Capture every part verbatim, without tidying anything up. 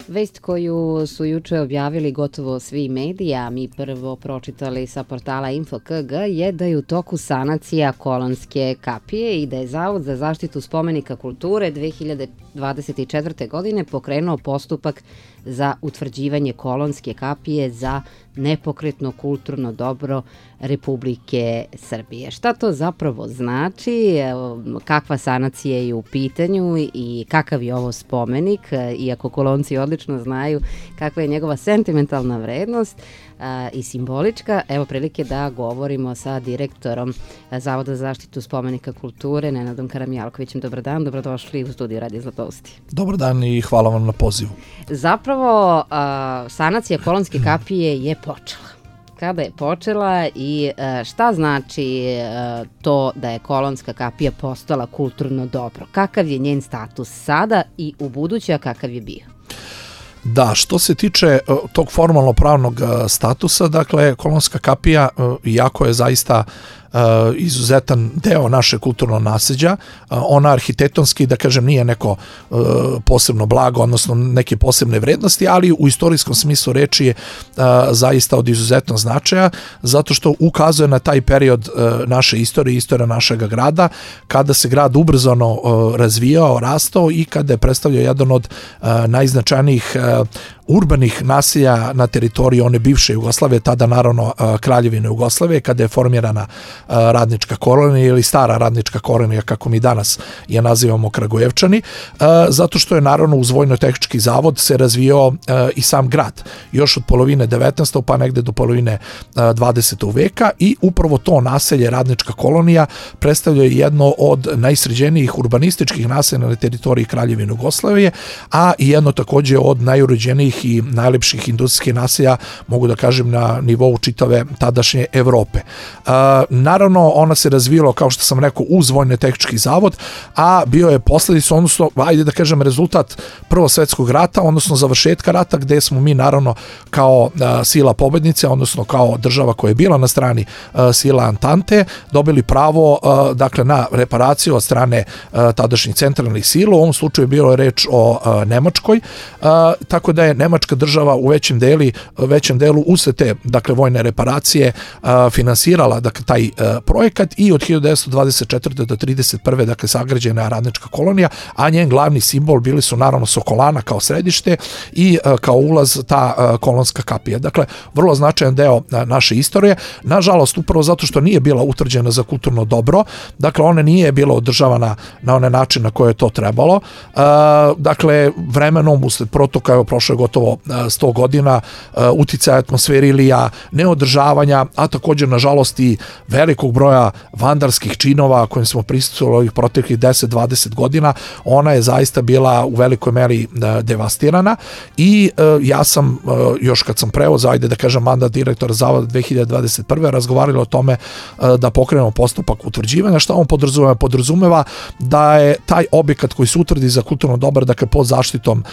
Vest koju su juče objavili gotovo svi mediji, a mi prvo pročitali sa portala Info K G, je da je u toku sanacija Kolonske kapije i da je Zavod za zaštitu spomenika kulture dve hiljade dvadeset četvrte. godine pokrenuo postupak za utvrđivanje Kolonske kapije za nepokretno kulturno dobro Republike Srbije. Šta to zapravo znači, kakva sanacija je u pitanju i kakav je ovo spomenik, iako Kolonci odlično znaju kakva je njegova sentimentalna vrednost i simbolička. Evo prilike da govorimo sa direktorom Zavoda za zaštitu spomenika kulture, Nenadom Karamjalkovićem. Dobar dan, dobrodošli u studiju Radio Zlatousti. Dobar dan i hvala vam na pozivu. Zapravo, sanacija Kolonske kapije je počela. Kada je počela i šta znači to da je Kolonska kapija postala kulturno dobro? Kakav je njen status sada i u buduće, a kakav je bio? Da, što se tiče tog formalno pravnog statusa, dakle, Kolonska kapija, iako je zaista izuzetan deo naše kulturnog nasleđa, ona arhitektonski, da kažem, nije neko posebno blago, odnosno neke posebne vrednosti, ali u istorijskom smislu reči je zaista od izuzetnog značaja, zato što ukazuje na taj period naše istorije, istorija našeg grada, kada se grad ubrzano razvijao, rastao i kada je predstavljao jedan od najznačajnijih urbanih naselja na teritoriji one bivše Jugoslavije, tada naravno Kraljevine Jugoslavije, kada je formirana radnička kolonija ili stara radnička kolonija, kako mi danas je nazivamo Kragujevčani, zato što je naravno uz Vojno-tehnički zavod se razvijao i sam grad, još od polovine devetnaestog pa negde do polovine dvadesetog veka, i upravo to naselje radnička kolonija predstavlja jedno od najsređenijih urbanističkih naselja na teritoriji Kraljevine Jugoslavije, a i jedno takođe od najuređenijih i najlepših industrijskih naselja, mogu da kažem, na nivou čitave tadašnje Evrope. Uh, naravno, ona se razvijala, kao što sam rekao, uz Vojno-tehnički zavod, a bio je posledica, odnosno, ajde da kažem, rezultat Prvog svetskog rata, odnosno završetka rata, gde smo mi, naravno, kao uh, sila pobednice, odnosno kao država koja je bila na strani uh, sila Antante, dobili pravo, uh, dakle, na reparaciju od strane uh, tadašnjih centralnih sila. U ovom slučaju je bilo reč o uh, Nemačkoj, uh, tako da je Nemačka država u većem deli, većem delu usred te, dakle, vojne reparacije a, finansirala, dakle, taj a, projekat, i od hiljadu devetsto dvadeset četvrte do trideset prve dakle, sagrađena je radnička kolonija, a njen glavni simbol bili su naravno Sokolana kao središte i a, kao ulaz ta a, Kolonska kapija. Dakle, vrlo značajan deo a, naše istorije. Nažalost, upravo zato što nije bila utvrđena za kulturno dobro, dakle, ona nije bila održavana na onaj način na koje je to trebalo. A, dakle, vremenom, usled protoka, evo, prošlo je gotovo sto godina, uticaja atmosferilija, neodržavanja, a također, nažalost, i velikog broja vandarskih činova kojim smo prisustvovali ovih proteklih deset do dvadeset godina, ona je zaista bila u velikoj meri devastirana i ja sam, još kad sam preuzeo, ajde da kažem, mandat direktora Zavoda dve hiljade dvadeset prve. razgovarali o tome da pokrenemo postupak utvrđivanja. Šta on podrazumeva? Podrazumeva da je taj objekat koji se utvrdi za kulturno dobro, dakle, pod zaštitom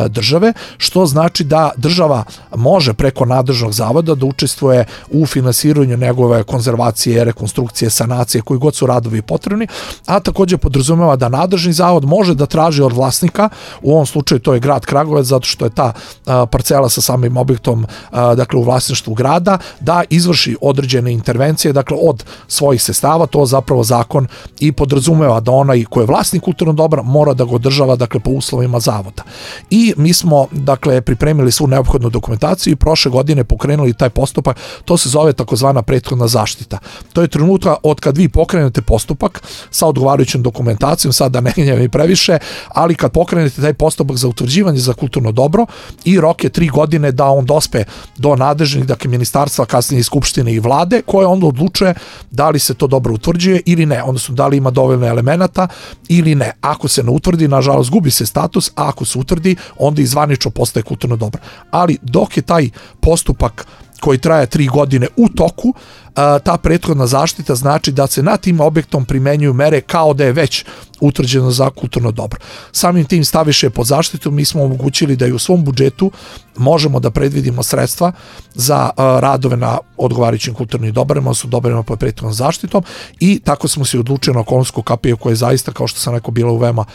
države, što znači da država može preko nadležnog zavoda da učestvuje u finansiranju njegove konzervacije, rekonstrukcije, sanacije, koji god su radovi potrebni, a također podrazumeva da nadležni zavod može da traži od vlasnika, u ovom slučaju to je grad Kragujevac, zato što je ta a, parcela sa samim objektom a, dakle, u vlasništvu grada, da izvrši određene intervencije, dakle, od svojih sredstava. To zapravo zakon i podrazumeva da onaj ko je vlasnik kulturnog dobra mora da ga održava, dakle, po uslovima zavoda. I mi smo, dakle, pripremili svu neophodnu dokumentaciju i prošle godine pokrenuli taj postupak. To se zove takozvana prethodna zaštita. To je trenutka od kad vi pokrenete postupak sa odgovarajućom dokumentacijom, sad da ne gnjavim i previše, ali kad pokrenete taj postupak za utvrđivanje za kulturno dobro, i rok je tri godine da on dospe do nadležnih, dakle, ministarstva, kasnije i skupštine i vlade, koje onda odlučuje da li se to dobro utvrđuje ili ne, odnosno da li ima dovoljno elemenata ili ne. Ako se ne utvrdi, nažalost, gubi se status, a ako se utvrdi, onda i zvanično postaje kulturno dobro. Ali dok je taj postupak koji traje tri godine u toku, ta prethodna zaštita znači da se na tim objektom primenjuju mere kao da je već utvrđeno za kulturno dobro. Samim tim staviše pod zaštitu, mi smo omogućili da i u svom budžetu možemo da predvidimo sredstva za radove na odgovarajućim kulturnim dobrima, su dobrima pod prethodnom zaštitom i tako smo se odlučili na Kolonsku kapiju koja je zaista, kao što sam rekao, bila u veoma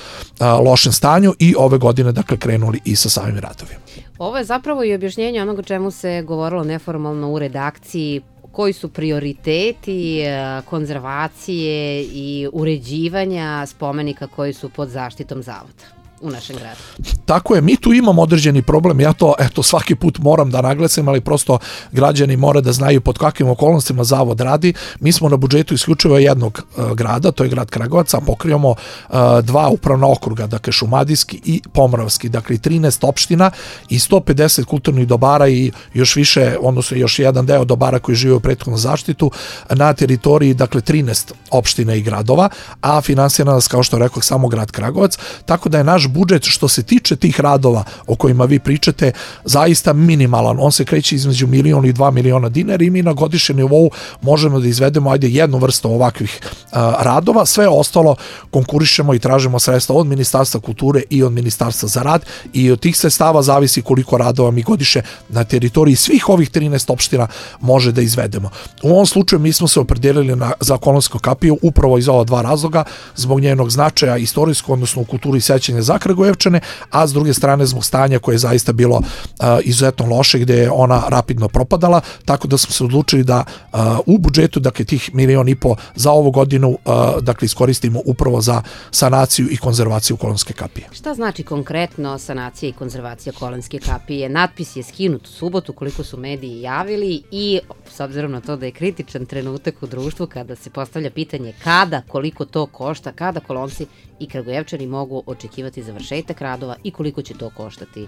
lošem stanju i ove godine dakle krenuli i sa samim radovima. Ovo je zapravo i objašnjenje onoga čemu se govorilo neformalno u redakciji, koji su prioriteti konzervacije i uređivanja spomenika koji su pod zaštitom zavoda u našem gradu. Tako je, mi tu imamo određeni problem, ja to eto svaki put moram da naglasim, ali prosto građani mora da znaju pod kakvim okolnostima zavod radi. Mi smo na budžetu isključivo jednog uh, grada, to je grad Kragujevac, a pokrivamo uh, dva upravna okruga, dakle Šumadijski i Pomoravski, dakle trinaest opština i sto pedeset kulturnih dobara i još više, odnosno još jedan deo dobara koji žive u prethodnom zaštitu na teritoriji, dakle trinaest opština i gradova, a finansira nas, kao što rekao, samo grad Kragujevac, tako da je naš budžet što se tiče tih radova o kojima vi pričate zaista minimalan. On se kreće između milion i dva miliona dinara i mi na godišnjem nivou možemo da izvedemo ajde jednu vrstu ovakvih a, radova. Sve ostalo konkurišemo i tražimo sredstva od Ministarstva kulture i od Ministarstva za rad i od tih sredstava zavisi koliko radova mi godišnje na teritoriji svih ovih trinaest opština može da izvedemo. U ovom slučaju mi smo se opredelili na, za Kolonsku kapiju upravo iz ova dva razloga, zbog njenog značaja istorijskog, odnosno u kulturi sećanja za Kragujevčane, a s druge strane zbog stanja koje je zaista bilo uh, izuzetno loše, gdje je ona rapidno propadala, tako da smo se odlučili da uh, u budžetu, dakle tih milion i po za ovu godinu, uh, dakle iskoristimo upravo za sanaciju i konzervaciju Kolonske kapije. Šta znači konkretno sanacija i konzervacija Kolonske kapije? Natpis je skinut u subotu, koliko su mediji javili, i s obzirom na to da je kritičan trenutak u društvu kada se postavlja pitanje kada, koliko to košta, kada Kolonci i Kragujevčani mogu očekivati završetak radova i koliko će to koštati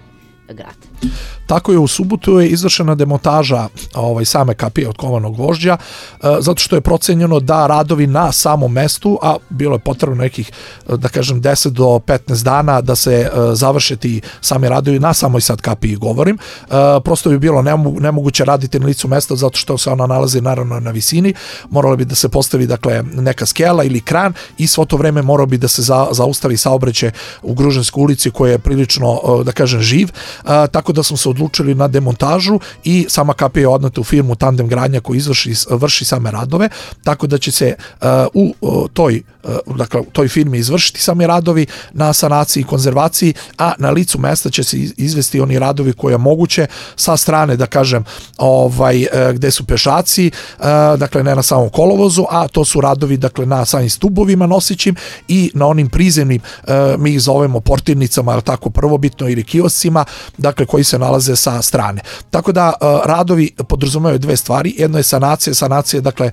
grad. Tako je, u subotu je izvršena demontaža ovaj, same kapije od kovanog gvožđa, e, zato što je procenjeno da radovi na samom mestu, a bilo je potrebno nekih, da kažem, deset do petnaest dana da se e, završe ti sami radovi na samoj sad kapiji, govorim. E, prosto bi bilo nemo, nemoguće raditi na licu mesta zato što se ona nalazi naravno na visini, moralo bi da se postavi dakle neka skela ili kran i svo to vreme morao bi da se za, zaustavi saobraćaj u Gružanskoj ulici koja je prilično, da kažem, živ. A, tako da smo se odlučili na demontažu i sama kapija je odneta u firmu Tandem Gradnja koji izvrši, vrši same radove, tako da će se a, u a, toj, a, dakle, toj firmi izvršiti sami radovi na sanaciji i konzervaciji, a na licu mesta će se izvesti oni radovi koje je moguće sa strane, da kažem, ovaj, gde su pešaci, a, dakle ne na samom kolovozu, a to su radovi dakle na samim stubovima nosićim i na onim prizemnim, a, mi ih zovemo portirnicama, ali tako prvobitno, ili kioscima, dakle koji se nalaze sa strane. Tako da radovi podrazumevaju dve stvari. Jedno je sanacija, sanacija dakle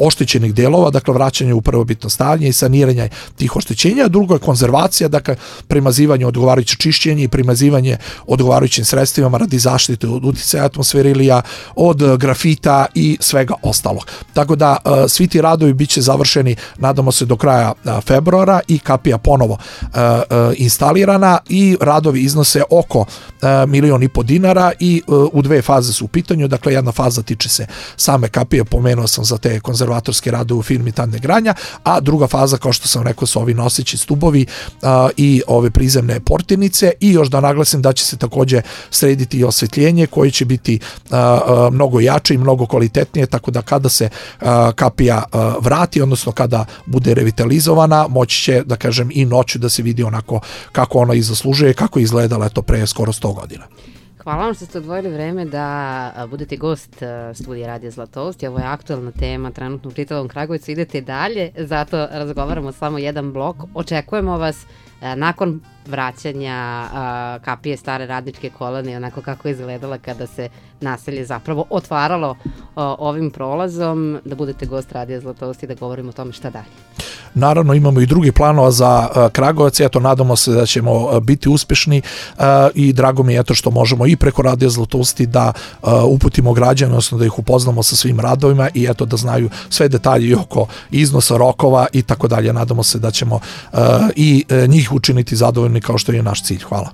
oštećenih delova, dakle vraćanje u prvobitno stanje i saniranje tih oštećenja, a drugo je konzervacija, dakle primazivanje, odgovarajuće čišćenje i primazivanje odgovarajućim sredstvima radi zaštite od uticaja atmosferilija, od grafita i svega ostalog. Tako da svi ti radovi biće završeni, nadamo se, do kraja februara i kapija ponovo instalirana i radovi iznose oko milion i po dinara i u dve faze su u pitanju. Dakle, jedna faza tiče se same kapije, pomenuo sam za te konzervatorske radove u firmi Tandem Gradnja, a druga faza, kao što sam rekao, su ovi noseći stubovi a, i ove prizemne portirnice, i još da naglasim da će se također srediti i osvetljenje koje će biti a, a, mnogo jače i mnogo kvalitetnije, tako da kada se a, kapija a, vrati, odnosno kada bude revitalizovana, moći će, da kažem, i noću da se vidi onako kako ona i zaslužuje, kako je izgledala eto pre skoro sto godina. Hvala vam što ste odvojili vreme da budete gost studija Radija Zlatoust. Ovo je aktualna tema trenutno u čitavom Kragujevcu. Idete dalje, zato razgovaramo samo jedan blok. Očekujemo vas nakon vraćanja kapije stare radničke kolonije, onako kako je izgledala kada se naselje zapravo otvaralo ovim prolazom, da budete gost Radija Zlatoust i da govorimo o tome šta dalje. Naravno, imamo i drugi planova za Kragujevac, eto, nadamo se da ćemo biti uspješni i drago mi je eto što možemo i preko Radija Zlatousti da uputimo građane, odnosno da ih upoznamo sa svim radovima i eto da znaju sve detalje oko iznosa, rokova i tako dalje. Nadamo se da ćemo i njih učiniti zadovoljni kao što je naš cilj. Hvala.